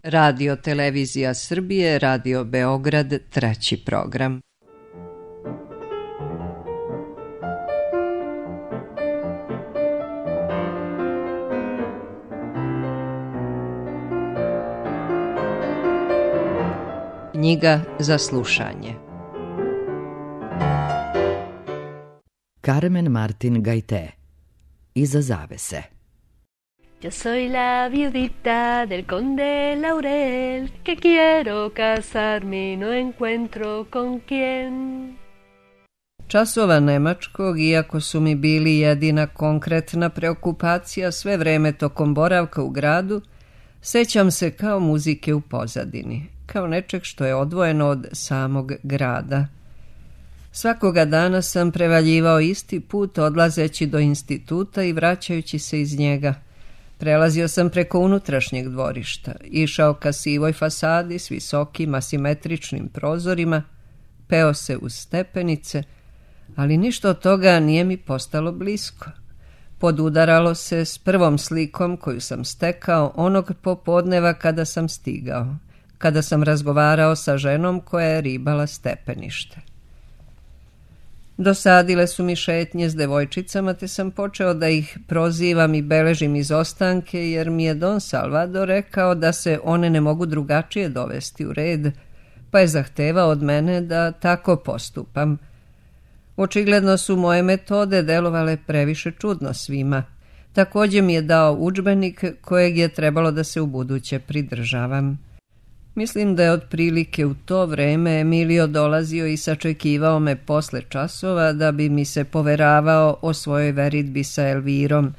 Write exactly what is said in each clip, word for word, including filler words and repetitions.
Radio Televizija Srbije, Radio Beograd, treći program. Knjiga za slušanje. Carmen Martin Gaite. Iza zavese. Yo soy la viudita del conde Laurel, que quiero casarme y no encuentro con quién. Časova nemačkog, iako su mi bili jedina konkretna preokupacija sve vreme tokom boravka u gradu, sećam se kao muzike u pozadini, kao nečeg što je odvojeno od samog grada. Svakoga dana sam prevaljivao isti put odlazeći do instituta i vraćajući se iz njega. Prelazio sam preko unutrašnjeg dvorišta, išao ka sivoj fasadi s visokim asimetričnim prozorima, peo se uz stepenice, ali ništa od toga nije mi postalo blisko. Podudaralo se s prvom slikom koju sam stekao onog popodneva kada sam stigao, kada sam razgovarao sa ženom koja je ribala stepenište. Dosadile su mi šetnje s devojčicama, te sam počeo da ih prozivam i beležim izostanke, jer mi je Don Salvador rekao da se one ne mogu drugačije dovesti u red, pa je zahtevao od mene da tako postupam. Očigledno su moje metode delovale previše čudno svima. Također mi je dao udžbenik kojeg je trebalo da se ubuduće pridržavam. Mislim da je otprilike u to vreme Emilio dolazio i sačekivao me posle časova da bi mi se poveravao o svojoj veridbi sa Elvirom.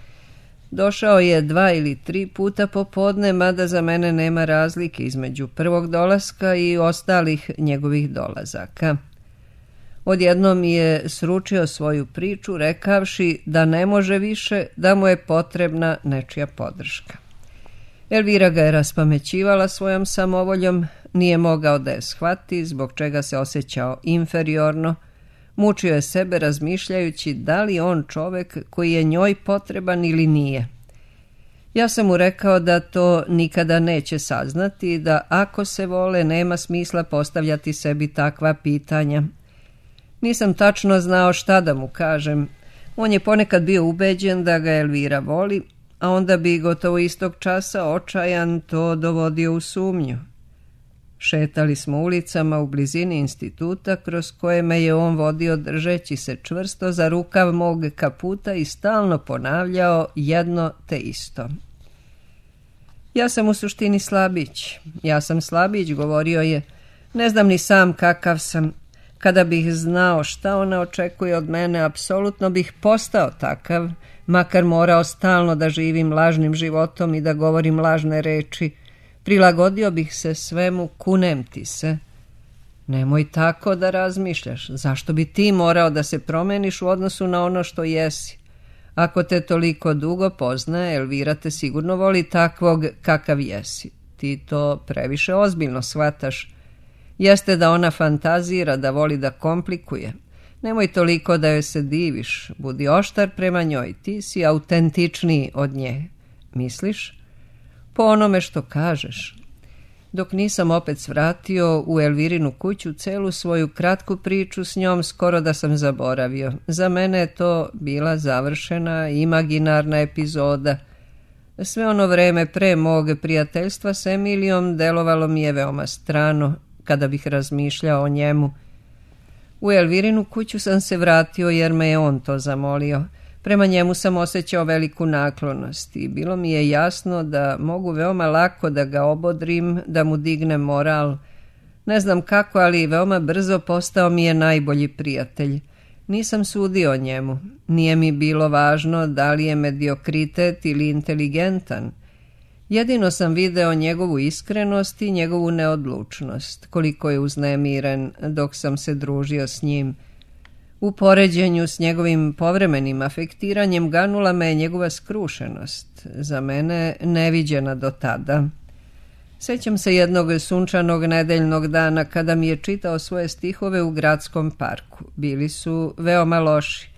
Došao je dva ili tri puta popodne, mada za mene nema razlike između prvog dolaska i ostalih njegovih dolazaka. Odjednom mi je sručio svoju priču, rekavši da ne može više, da mu je potrebna nečija podrška. Elvira ga je raspamećivala svojom samovoljom, nije mogao da je shvati, zbog čega se osjećao inferiorno, mučio je sebe razmišljajući da li on čovek koji je njoj potreban ili nije. Ja sam mu rekao da to nikada neće saznati i da ako se vole nema smisla postavljati sebi takva pitanja. Nisam tačno znao šta da mu kažem. On je ponekad bio ubeđen da ga Elvira voli, a onda bi gotovo istog časa očajan to dovodio u sumnju. Šetali smo ulicama u blizini instituta, kroz koje me je on vodio držeći se čvrsto za rukav mog kaputa i stalno ponavljao jedno te isto. Ja sam u suštini slabić. Ja sam slabić, govorio je. Ne znam ni sam kakav sam. Kada bih znao šta ona očekuje od mene, apsolutno bih postao takav, makar morao stalno da živim lažnim životom i da govorim lažne reči. Prilagodio bih se svemu, kunem ti se. Nemoj tako da razmišljaš. Zašto bi ti morao da se promeniš u odnosu na ono što jesi? Ako te toliko dugo poznaje, Elvira te sigurno voli takvog kakav jesi. Ti to previše ozbiljno shvataš. Jeste da ona fantazira, da voli da komplikuje. Nemoj toliko da joj se diviš, budi oštar prema njoj, ti si autentičniji od nje. Misliš? Po onome što kažeš. Dok nisam opet svratio u Elvirinu kuću celu svoju kratku priču s njom, skoro da sam zaboravio. Za mene je to bila završena, imaginarna epizoda. Sve ono vreme pre mog prijateljstva s Emilijom delovalo mi je veoma strano, kada bih razmišljao o njemu. U Elvirinu kuću sam se vratio jer me je on to zamolio. Prema njemu sam osjećao veliku naklonost i bilo mi je jasno da mogu veoma lako da ga obodrim, da mu dignem moral. Ne znam kako, ali veoma brzo postao mi je najbolji prijatelj. Nisam sudio o njemu. Nije mi bilo važno da li je mediokritet ili inteligentan. Jedino sam video njegovu iskrenost i njegovu neodlučnost, koliko je uznemiren dok sam se družio s njim. U poređenju s njegovim povremenim afektiranjem ganula me njegova skrušenost, za mene neviđena do tada. Sećam se jednog sunčanog nedeljnog dana kada mi je čitao svoje stihove u gradskom parku. Bili su veoma loši.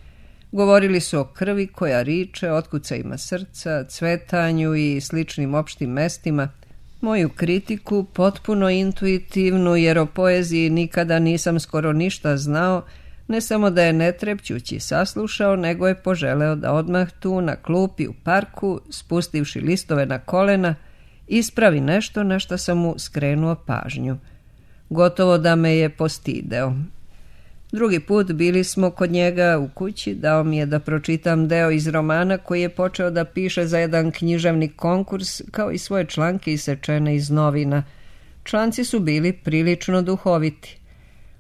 Govorili su o krvi koja riče, otkucajima srca, cvetanju i sličnim opštim mestima. Moju kritiku, potpuno intuitivnu, jer o poeziji nikada nisam skoro ništa znao, ne samo da je netrepćući saslušao, nego je poželeo da odmah tu na klupi u parku, spustivši listove na kolena, ispravi nešto na što sam mu skrenuo pažnju. Gotovo da me je postideo. Drugi put bili smo kod njega u kući, dao mi je da pročitam deo iz romana koji je počeo da piše za jedan književni konkurs, kao i svoje članke isečene iz novina. Članci su bili prilično duhoviti.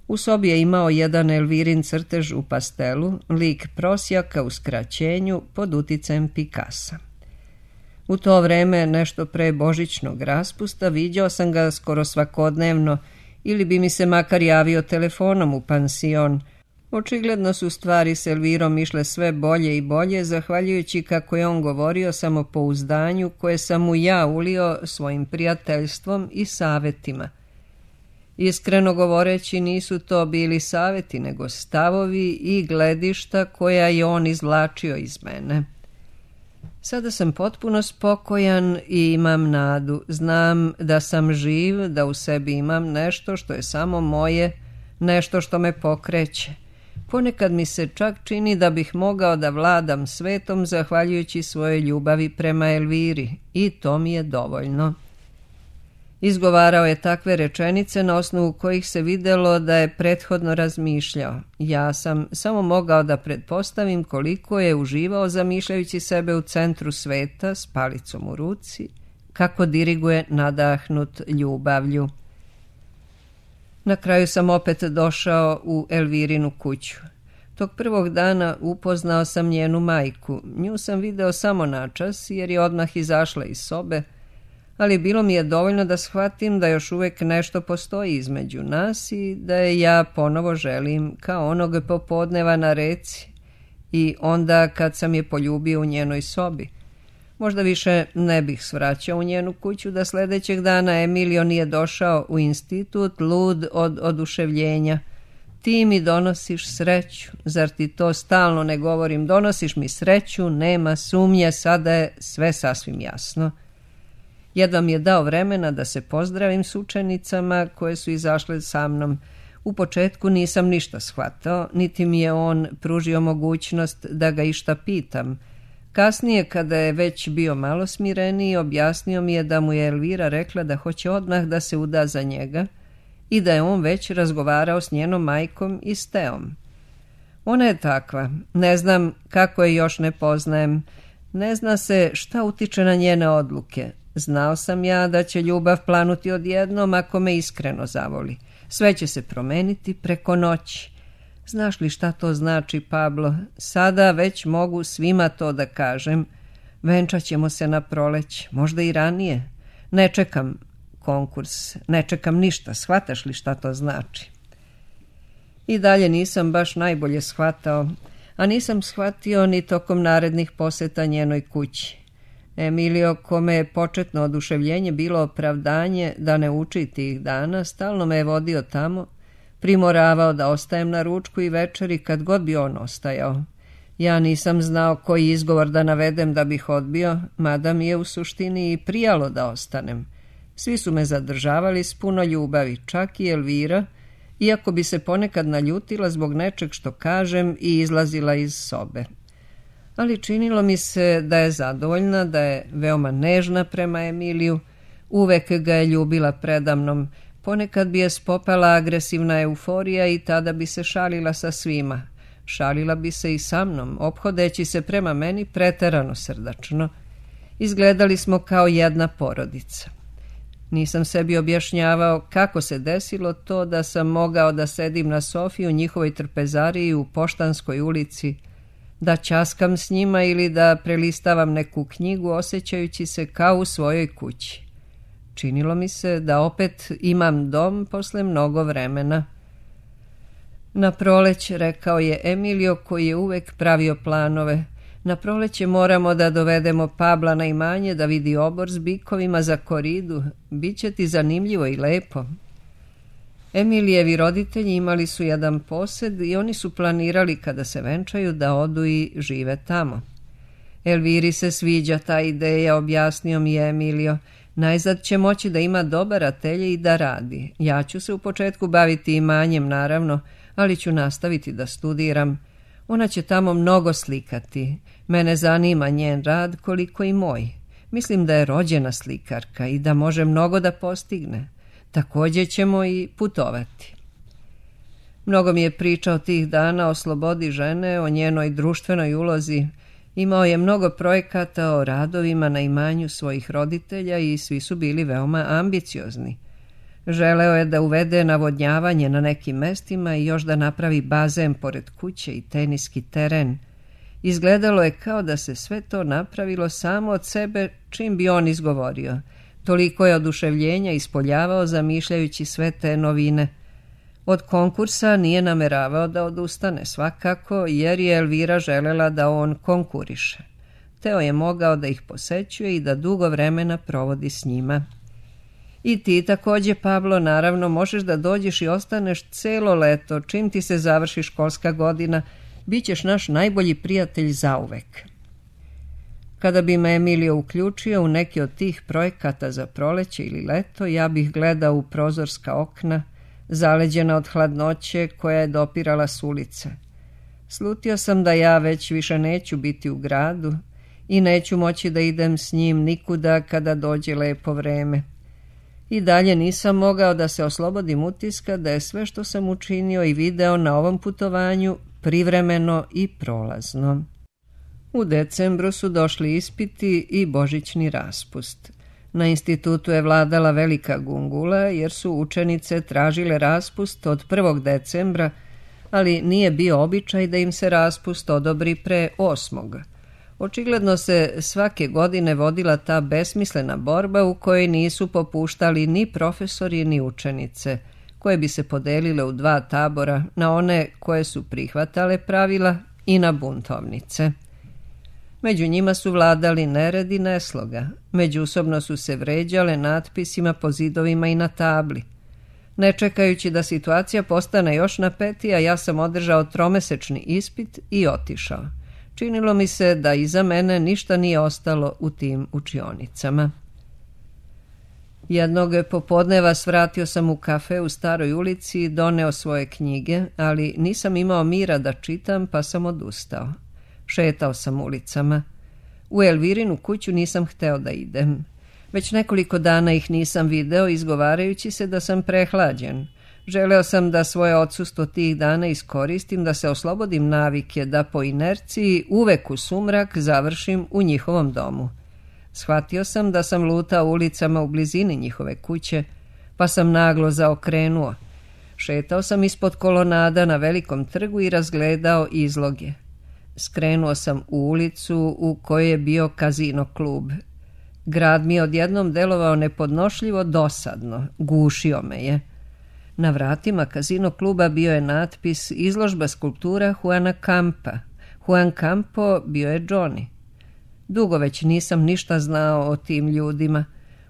U sobi je imao jedan Elvirin crtež u pastelu, lik prosjaka u skraćenju pod uticajem Picassa. U to vreme, nešto pre božićnog raspusta, viđao sam ga skoro svakodnevno, ili bi mi se makar javio telefonom u pansion. Očigledno su stvari s Elvirom išle sve bolje i bolje, zahvaljujući, kako je on govorio, samopouzdanju koje sam mu ja ulio svojim prijateljstvom i savetima. Iskreno govoreći, nisu to bili saveti, nego stavovi i gledišta koja je on izvlačio iz mene. Sada sam potpuno spokojan i imam nadu. Znam da sam živ, da u sebi imam nešto što je samo moje, nešto što me pokreće. Ponekad mi se čak čini da bih mogao da vladam svetom zahvaljujući svojoj ljubavi prema Elviri, i to mi je dovoljno. Izgovarao je takve rečenice na osnovu kojih se videlo da je prethodno razmišljao. Ja sam samo mogao da pretpostavim koliko je uživao zamišljajući sebe u centru sveta s palicom u ruci, kako diriguje nadahnut ljubavlju. Na kraju sam opet došao u Elvirinu kuću. Tog prvog dana upoznao sam njenu majku. Nju sam video samo načas jer je odmah izašla iz sobe, ali bilo mi je dovoljno da shvatim da još uvijek nešto postoji između nas i da je ja ponovo želim kao onog popodneva na reci i onda kad sam je poljubio u njenoj sobi. Možda više ne bih svraćao u njenu kuću da sljedećeg dana Emilio nije došao u institut lud od oduševljenja. Ti mi donosiš sreću, zar ti to stalno ne govorim? Donosiš mi sreću, nema sumnje, sada je sve sasvim jasno. Jedva mi je dao vremena da se pozdravim s učenicama koje su izašle sa mnom. U početku nisam ništa shvatao, niti mi je on pružio mogućnost da ga išta pitam. Kasnije, kada je već bio malo smireniji, objasnio mi je da mu je Elvira rekla da hoće odmah da se uda za njega i da je on već razgovarao s njenom majkom i s Teom. Ona je takva, ne znam kako je još ne poznajem, ne zna se šta utiče na njene odluke. Znao sam ja da će ljubav planuti odjednom ako me iskreno zavoli. Sve će se promeniti preko noći. Znaš li šta to znači, Pablo? Sada već mogu svima to da kažem. Venčat ćemo se na proleć, možda i ranije. Ne čekam konkurs, ne čekam ništa, shvataš li šta to znači? I dalje nisam baš najbolje shvatao, a nisam shvatio ni tokom narednih poseta njenoj kući. Emilio, kome je početno oduševljenje bilo opravdanje da ne uči tih dana, stalno me je vodio tamo, primoravao da ostajem na ručku i večeri kad god bi on ostajao. Ja nisam znao koji izgovor da navedem da bih odbio, mada mi je u suštini i prijalo da ostanem. Svi su me zadržavali s puno ljubavi, čak i Elvira, iako bi se ponekad naljutila zbog nečeg što kažem i izlazila iz sobe. Ali činilo mi se da je zadovoljna, da je veoma nežna prema Emiliju, uvek ga je ljubila predamnom, ponekad bi je spopala agresivna euforija i tada bi se šalila sa svima. Šalila bi se i sa mnom, ophodeći se prema meni preterano srdačno. Izgledali smo kao jedna porodica. Nisam sebi objašnjavao kako se desilo to da sam mogao da sedim na sofi u njihovoj trpezariji u Poštanskoj ulici, da ćaskam s njima ili da prelistavam neku knjigu osjećajući se kao u svojoj kući. Činilo mi se da opet imam dom posle mnogo vremena. Na proleć, rekao je Emilio, koji je uvek pravio planove, na proleće moramo da dovedemo Pabla na imanje da vidi obor s bikovima za koridu. Biće ti zanimljivo i lepo. Emilijevi roditelji imali su jedan posed i oni su planirali kada se venčaju da odu i žive tamo. Elviri se sviđa ta ideja, objasnio mi je Emilio. Najzad će moći da ima dobar atelje i da radi. Ja ću se u početku baviti imanjem, naravno, ali ću nastaviti da studiram. Ona će tamo mnogo slikati. Mene zanima njen rad koliko i moj. Mislim da je rođena slikarka i da može mnogo da postigne. Također ćemo i putovati. Mnogo mi je pričao tih dana o slobodi žene, o njenoj društvenoj ulozi. Imao je mnogo projekata o radovima na imanju svojih roditelja i svi su bili veoma ambiciozni. Želeo je da uvede navodnjavanje na nekim mestima i još da napravi bazen pored kuće i teniski teren. Izgledalo je kao da se sve to napravilo samo od sebe čim bi on izgovorio. Toliko je oduševljenja ispoljavao zamišljajući sve te novine. Od konkursa nije nameravao da odustane svakako, jer je Elvira želela da on konkuriše. Teo je mogao da ih posećuje i da dugo vremena provodi s njima. I ti također, Pablo, naravno možeš da dođeš i ostaneš celo leto, čim ti se završi školska godina, bit ćeš naš najbolji prijatelj zauvek. Kada bi me Emilio uključio u neki od tih projekata za proleće ili leto, ja bih gledao u prozorska okna, zaleđena od hladnoće koja je dopirala s ulice. Slutio sam da ja već više neću biti u gradu i neću moći da idem s njim nikuda kada dođe lepo vreme. I dalje nisam mogao da se oslobodim utiska da je sve što sam učinio i video na ovom putovanju privremeno i prolazno. U decembru su došli ispiti i božićni raspust. Na institutu je vladala velika gungula jer su učenice tražile raspust od prvog decembra, ali nije bio običaj da im se raspust odobri pre osmog. Očigledno se svake godine vodila ta besmislena borba u kojoj nisu popuštali ni profesori ni učenice, koje bi se podelile u dva tabora, na one koje su prihvatale pravila i na buntovnice. Među njima su vladali nered i nesloga. Međusobno su se vređale natpisima po zidovima i na tabli. Ne čekajući da situacija postane još napetija, ja sam održao tromesečni ispit i otišao. Činilo mi se da iza mene ništa nije ostalo u tim učionicama. Jednog popodneva svratio sam u kafe u Staroj ulici i doneo svoje knjige, ali nisam imao mira da čitam, pa sam odustao. Šetao sam ulicama. U Elvirinu kuću nisam hteo da idem. Već nekoliko dana ih nisam video, izgovarajući se da sam prehlađen. Želeo sam da svoje odsustvo tih dana iskoristim, da se oslobodim navike, da po inerciji uvek u sumrak završim u njihovom domu. Shvatio sam da sam lutao ulicama u blizini njihove kuće, pa sam naglo zaokrenuo. Šetao sam ispod kolonada na velikom trgu i razgledao izloge. Skrenuo sam u ulicu u kojoj je bio kazino klub. Grad mi je odjednom delovao nepodnošljivo dosadno, gušio me je. Na vratima kazino kluba bio je natpis izložba skulptura Juana Campa. Juan Campo bio je Johnny. Dugo već nisam ništa znao o tim ljudima.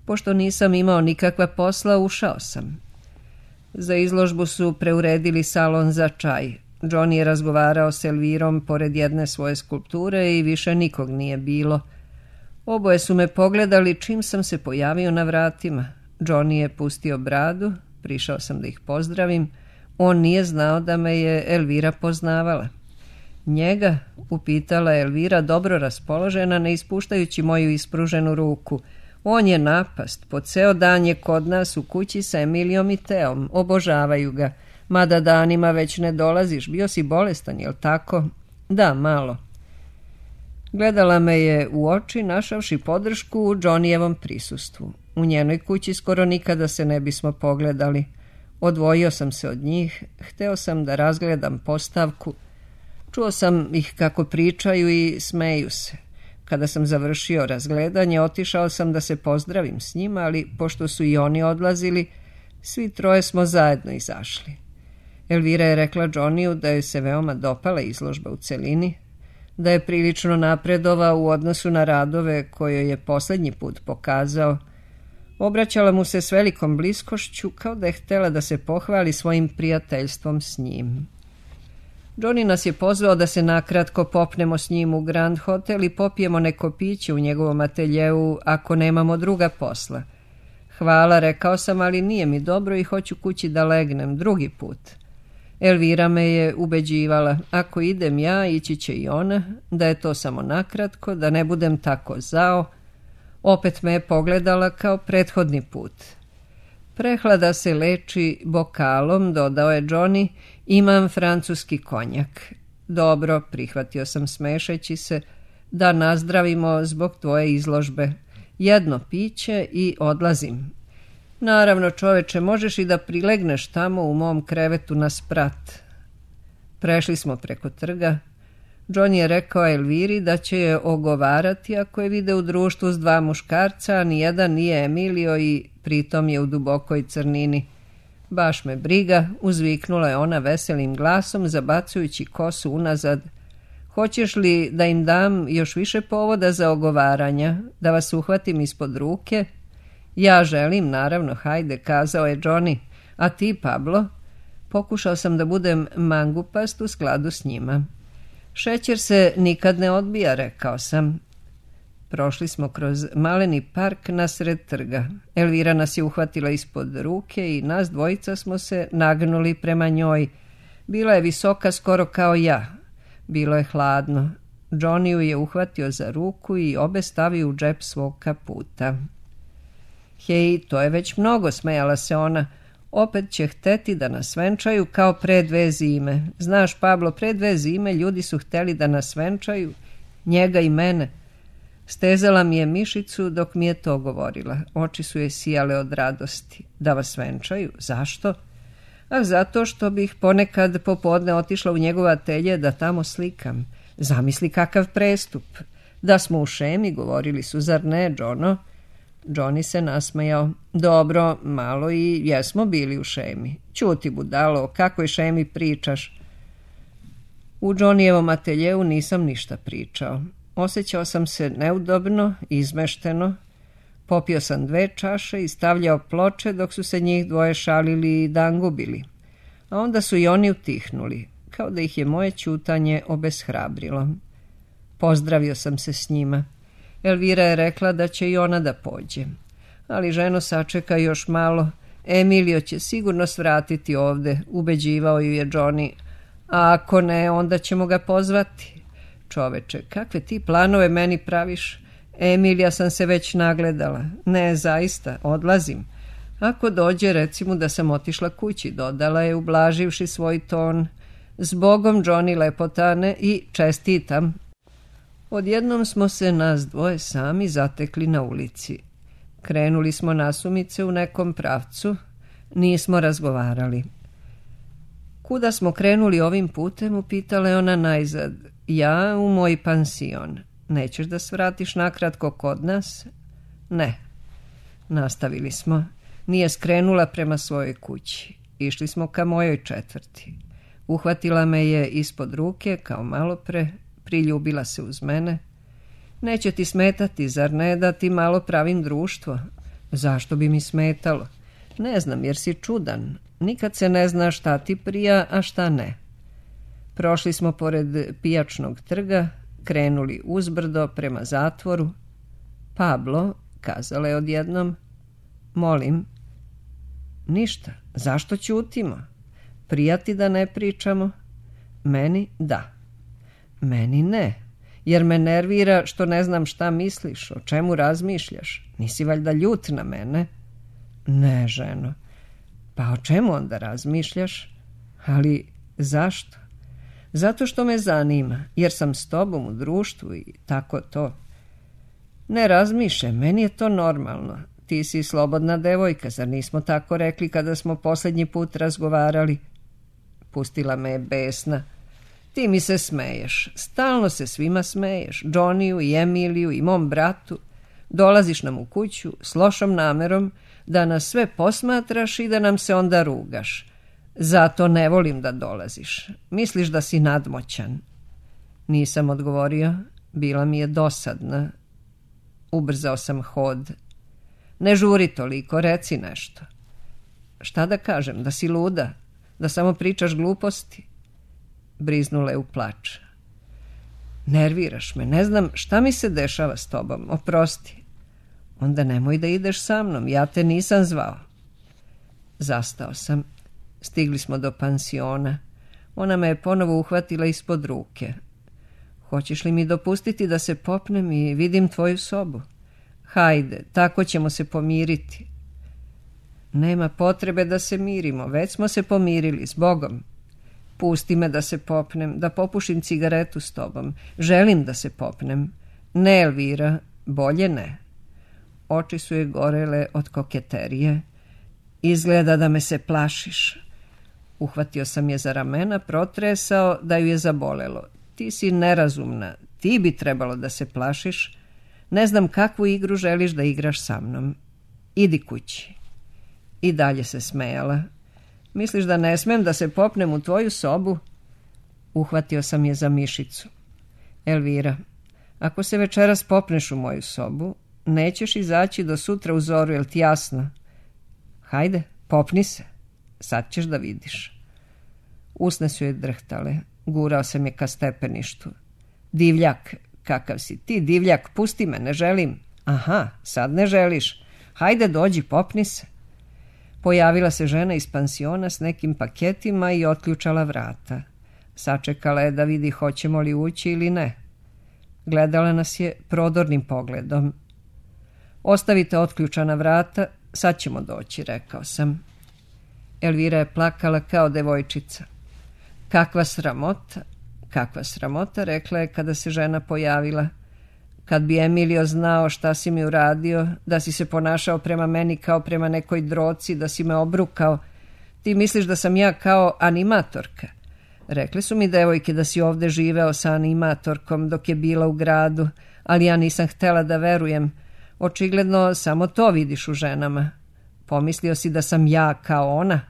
Pošto nisam imao nikakva posla, ušao sam. Za izložbu su preuredili salon za čaj. Johnny je razgovarao s Elvirom pored jedne svoje skulpture i više nikog nije bilo. Oboje su me pogledali čim sam se pojavio na vratima. Johnny je pustio bradu, prišao sam da ih pozdravim. On nije znao da me je Elvira poznavala. Njega, upitala Elvira, dobro raspoložena, ne ispuštajući moju ispruženu ruku. On je napast, po ceo dan je kod nas u kući sa Emilijom i Teom, obožavaju ga. Mada danima već ne dolaziš, bio si bolestan, jel tako? Da, malo. Gledala me je u oči, našavši podršku u Johnnyjevom prisustvu. U njenoj kući skoro nikada se ne bismo pogledali. Odvojio sam se od njih, hteo sam da razgledam postavku. Čuo sam ih kako pričaju i smeju se. Kada sam završio razgledanje, otišao sam da se pozdravim s njima, ali pošto su i oni odlazili, svi troje smo zajedno izašli. Elvira je rekla Johnnyju da joj se veoma dopala izložba u celini, da je prilično napredovao u odnosu na radove koje je posljednji put pokazao. Obraćala mu se s velikom bliskošću, kao da je htjela da se pohvali svojim prijateljstvom s njim. Johnny nas je pozvao da se nakratko popnemo s njim u Grand Hotel i popijemo neko piće u njegovom ateljeu ako nemamo druga posla. Hvala, rekao sam, ali nije mi dobro i hoću kući da legnem drugi put. Elvira me je ubeđivala, ako idem ja, ići će i ona, da je to samo nakratko, da ne budem tako zao. Opet me je pogledala kao prethodni put. Prehlada se leči bokalom, dodao je Johnny, imam francuski konjak. Dobro, prihvatio sam smešeći se, da nazdravimo zbog tvoje izložbe. Jedno piće i odlazim. Naravno, čoveče, možeš i da prilegneš tamo u mom krevetu na sprat. Prešli smo preko trga. John je rekao Elviri da će je ogovarati ako je vide u društvu s dva muškarca, a nijedan nije Emilio i pritom je u dubokoj crnini. Baš me briga, uzviknula je ona veselim glasom, zabacujući kosu unazad. Hoćeš li da im dam još više povoda za ogovaranja, da vas uhvatim ispod ruke? Ja želim, naravno, hajde, kazao je Johnny. A ti, Pablo? Pokušao sam da budem mangupast u skladu s njima. Šećer se nikad ne odbija, rekao sam. Prošli smo kroz maleni park nasred trga. Elvira nas je uhvatila ispod ruke i nas dvojica smo se nagnuli prema njoj. Bila je visoka skoro kao ja. Bilo je hladno. Johnny ju je uhvatio za ruku i obe stavio u džep svog kaputa. Hej, to je već mnogo, smejala se ona. Opet će hteti da nas venčaju kao pre dve zime. Znaš, Pablo, pre dve zime ljudi su hteli da nas venčaju, njega i mene. Stezala mi je mišicu dok mi je to govorila. Oči su je sijale od radosti. Da vas venčaju? Zašto? A zato što bih ponekad popodne otišla u njegov atelje da tamo slikam. Zamisli kakav prestup. Da smo u šemi, govorili su, zar ne, Jono? Johnny se nasmejao. Dobro, malo i jesmo bili u šemi. Ćuti, budalo, o kakvoj šemi pričaš? U Johnnyjevom ateljeu nisam ništa pričao. Osjećao sam se neudobno, izmešteno. Popio sam dve čaše i stavljao ploče dok su se njih dvoje šalili i dangubili. A onda su i oni utihnuli, kao da ih je moje ćutanje obeshrabrilo. Pozdravio sam se s njima. Elvira je rekla da će i ona da pođe. Ali ženo, sačeka još malo. Emilio će sigurno svratiti ovde, ubeđivao ju je Johnny. A ako ne, onda ćemo ga pozvati. Čoveče, kakve ti planove meni praviš? Emilija sam se već nagledala. Ne, zaista, odlazim. Ako dođe, recimo da sam otišla kući, dodala je, ublaživši svoj ton. Zbogom, Johnny lepotane, i čestitam. Odjednom smo se nas dvoje sami zatekli na ulici. Krenuli smo nasumice u nekom pravcu. Nismo razgovarali. Kuda smo krenuli ovim putem, upitala je ona najzad. Ja u moj pansion. Nećeš da svratiš nakratko kod nas? Ne. Nastavili smo. Nije skrenula prema svojoj kući. Išli smo ka mojoj četvrti. Uhvatila me je ispod ruke, kao malopre, priljubila se uz mene. Neće ti smetati, zar ne, da ti malo pravim društvo? Zašto bi mi smetalo? Ne znam, jer si čudan. Nikad se ne zna šta ti prija, a šta ne. Prošli smo pored pijačnog trga, krenuli uzbrdo prema zatvoru. Pablo, kazala je odjednom, molim. Ništa, zašto ćutimo? Prijati da ne pričamo? Meni da. Meni ne, jer me nervira što ne znam šta misliš, o čemu razmišljaš. Nisi valjda ljut na mene? Ne, ženo. Pa o čemu onda razmišljaš? Ali zašto? Zato što me zanima, jer sam s tobom u društvu i tako to. Ne razmišljaj, meni je to normalno. Ti si slobodna devojka, zar nismo tako rekli kada smo posljednji put razgovarali? Pustila me je besna. Ti mi se smeješ, stalno se svima smeješ, Johnny-u i Emiliju i mom bratu. Dolaziš nam u kuću s lošom namerom da nas sve posmatraš i da nam se onda rugaš. Zato ne volim da dolaziš. Misliš da si nadmoćan. Nisam odgovorio, bila mi je dosadna. Ubrzao sam hod. Ne žuri toliko, reci nešto. Šta da kažem, da si luda? Da samo pričaš gluposti? Briznula je u plač. Nerviraš me, ne znam šta mi se dešava s tobom, oprosti. Onda nemoj da ideš sa mnom, ja te nisam zvao. Zastao sam. Stigli smo do pansiona. Ona me je ponovo uhvatila ispod ruke. Hoćeš li mi dopustiti da se popnem i vidim tvoju sobu? Hajde, tako ćemo se pomiriti. Nema potrebe da se mirimo, već smo se pomirili, s Bogom. Pusti me da se popnem, da popušim cigaretu s tobom. Želim da se popnem. Ne, Elvira, bolje ne. Oči su je gorele od koketerije. Izgleda da me se plašiš. Uhvatio sam je za ramena, protresao da ju je zabolelo. Ti si nerazumna, ti bi trebalo da se plašiš. Ne znam kakvu igru želiš da igraš sa mnom. Idi kući. I dalje se smejala. Misliš da ne smem da se popnem u tvoju sobu? Uhvatio sam je za mišicu. Elvira, ako se večeras popneš u moju sobu, nećeš izaći do sutra u zoru, jel ti jasno? Hajde, popni se. Sad ćeš da vidiš. Usne su je drhtale. Gurao sam je ka stepeništu. Divljak, kakav si ti, divljak, pusti me, ne želim. Aha, sad ne želiš. Hajde, dođi, popni se. Pojavila se žena iz pansiona s nekim paketima i otključala vrata. Sačekala je da vidi hoćemo li ući ili ne. Gledala nas je prodornim pogledom. Ostavite otključana vrata, sad ćemo doći, rekao sam. Elvira je plakala kao devojčica. Kakva sramota, kakva sramota, rekla je kada se žena pojavila. Kad bi Emilio znao šta si mi uradio, da si se ponašao prema meni kao prema nekoj droci, da si me obrukao. Ti misliš da sam ja kao animatorka? Rekli su mi devojke da si ovde živeo sa animatorkom dok je bila u gradu, ali ja nisam htela da verujem. Očigledno samo to vidiš u ženama. Pomislio si da sam ja kao ona?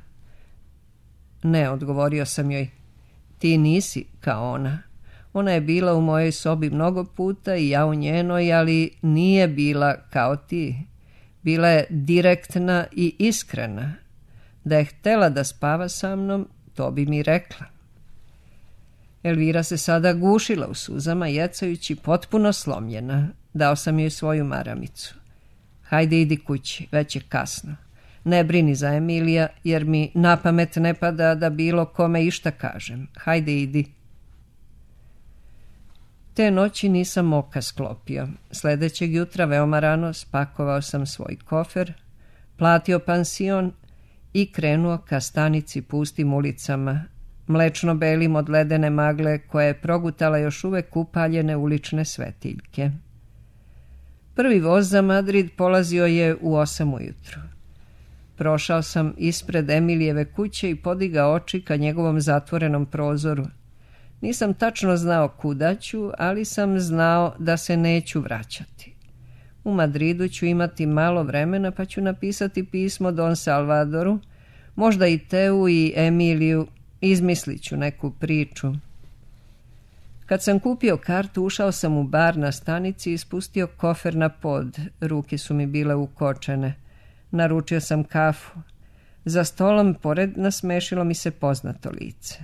Ne, odgovorio sam joj. Ti nisi kao ona. Ona je bila u mojoj sobi mnogo puta i ja u njenoj, ali nije bila kao ti. Bila je direktna i iskrena. Da je htela da spava sa mnom, to bi mi rekla. Elvira se sada gušila u suzama, jecajući potpuno slomljena. Dao sam joj svoju maramicu. Hajde, idi kući, već je kasno. Ne brini za Emilija, jer mi na pamet ne pada da bilo kome išta kažem. Hajde, idi. Te noći nisam oka sklopio. Sledećeg jutra veoma rano spakovao sam svoj kofer, platio pansion i krenuo ka stanici pustim ulicama, mlečno belim od ledene magle koja je progutala još uvek upaljene ulične svetiljke. Prvi voz za Madrid polazio je u osam ujutru. Prošao sam ispred Emilijeve kuće i podigao oči ka njegovom zatvorenom prozoru. Nisam tačno znao kuda ću, ali sam znao da se neću vraćati. U Madridu ću imati malo vremena, pa ću napisati pismo Don Salvadoru, možda i Teu i Emiliju, izmislit ću neku priču. Kad sam kupio kartu, ušao sam u bar na stanici i spustio kofer na pod. Ruke su mi bile ukočene. Naručio sam kafu. Za stolom pored nasmešilo mi se poznato lice.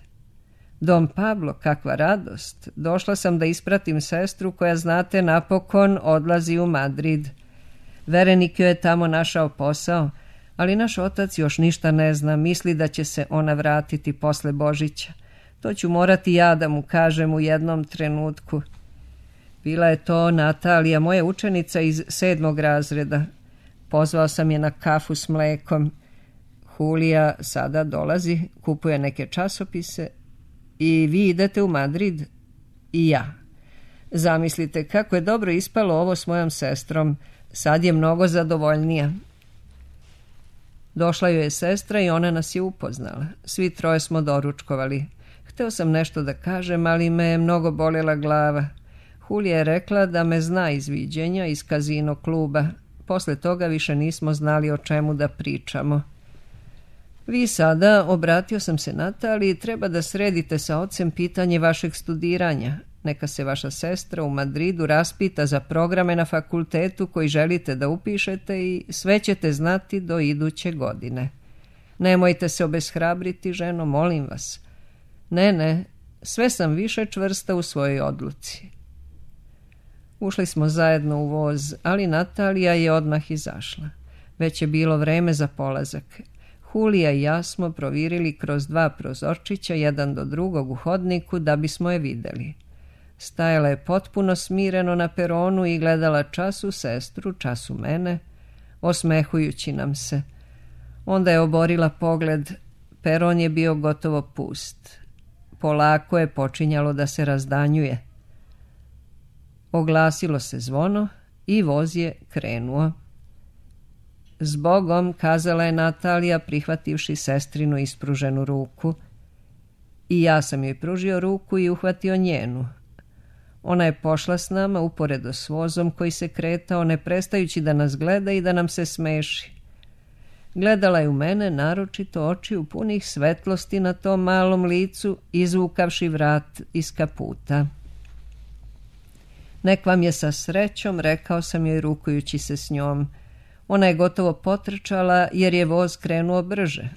Don Pablo, kakva radost. Došla sam da ispratim sestru koja, znate, napokon odlazi u Madrid. Verenik joj je tamo našao posao, ali naš otac još ništa ne zna, misli da će se ona vratiti posle Božića. To ću morati ja da mu kažem u jednom trenutku. Bila je to Natalija, moja učenica iz sedmog razreda. Pozvao sam je na kafu s mlekom. Julija sada dolazi, kupuje neke časopise. I vi idete u Madrid? I ja. Zamislite kako je dobro ispalo ovo s mojom sestrom. Sad je mnogo zadovoljnija. Došla joj je sestra i ona nas je upoznala. Svi troje smo doručkovali. Hteo sam nešto da kažem, ali me je mnogo bolela glava. Julija je rekla da me zna iz viđenja, iz kazino kluba. Posle toga više nismo znali o čemu da pričamo. Vi sada, obratio sam se Nataliji, treba da sredite sa ocem pitanje vašeg studiranja. Neka se vaša sestra u Madridu raspita za programe na fakultetu koji želite da upišete i sve ćete znati do iduće godine. Nemojte se obeshrabriti, ženo, molim vas. Ne, ne, sve sam više čvrsta u svojoj odluci. Ušli smo zajedno u voz, ali Natalija je odmah izašla. Već je bilo vreme za polazak. Julija i ja smo provirili kroz dva prozorčića, jedan do drugog u hodniku, da bismo je videli. Stajala je potpuno smireno na peronu i gledala času sestru, času mene, osmehujući nam se. Onda je oborila pogled. Peron je bio gotovo pust. Polako je počinjalo da se razdanjuje. Oglasilo se zvono i voz je krenuo. Zbogom, kazala je Natalija, prihvativši sestrinu ispruženu ruku. I ja sam joj pružio ruku i uhvatio njenu. Ona je pošla s nama uporedo s vozom koji se kretao, ne prestajući da nas gleda i da nam se smeši. Gledala je u mene, naročito oči u punih svetlosti na tom malom licu, izvukavši vrat iz kaputa. Nek vam je sa srećom, rekao sam joj rukujući se s njom. Ona je gotovo potrčala jer je voz krenuo brže.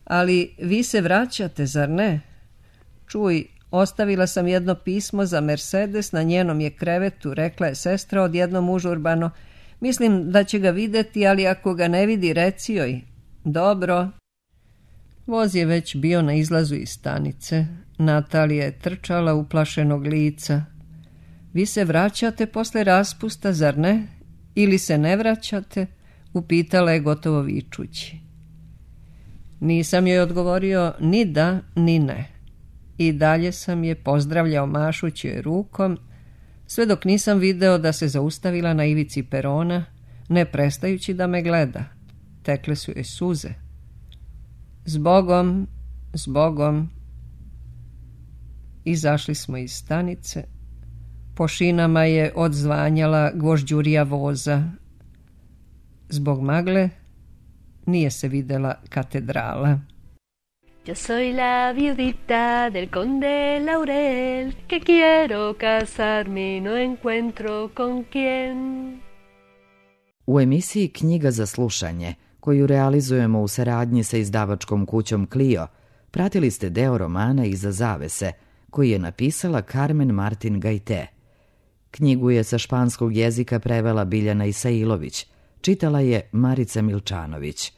Ali vi se vraćate, zar ne? Čuj, ostavila sam jedno pismo za Mercedes na njenom je krevetu, rekla je sestra odjednom užurbano. Mislim da će ga vidjeti, ali ako ga ne vidi, reci joj. Dobro. Voz je već bio na izlazu iz stanice. Natalija je trčala uplašenog lica. Vi se vraćate posle raspusta, zar ne? Ili se ne vraćate? Upitala je gotovo vičući. Nisam joj odgovorio ni da, ni ne. I dalje sam je pozdravljao mašući joj rukom, sve dok nisam video da se zaustavila na ivici perona, ne prestajući da me gleda. Tekle su joj suze. Zbogom, zbogom. Izašli smo iz stanice. Po šinama je odzvanjala gvožđurija voza. Zbog magle nije se videla katedrala. Yo soy la viudita del conde Laurel, que quiero casarme y no encuentro con quién. U emisiji Knjiga za slušanje, koju realizujemo u saradnji sa izdavačkom kućom Clio, pratili ste deo romana Iza zavese, koji je napisala Carmen Martin Gajte. Knjigu je sa španskog jezika prevela Biljana Isailović, čitala je Marica Milčanović.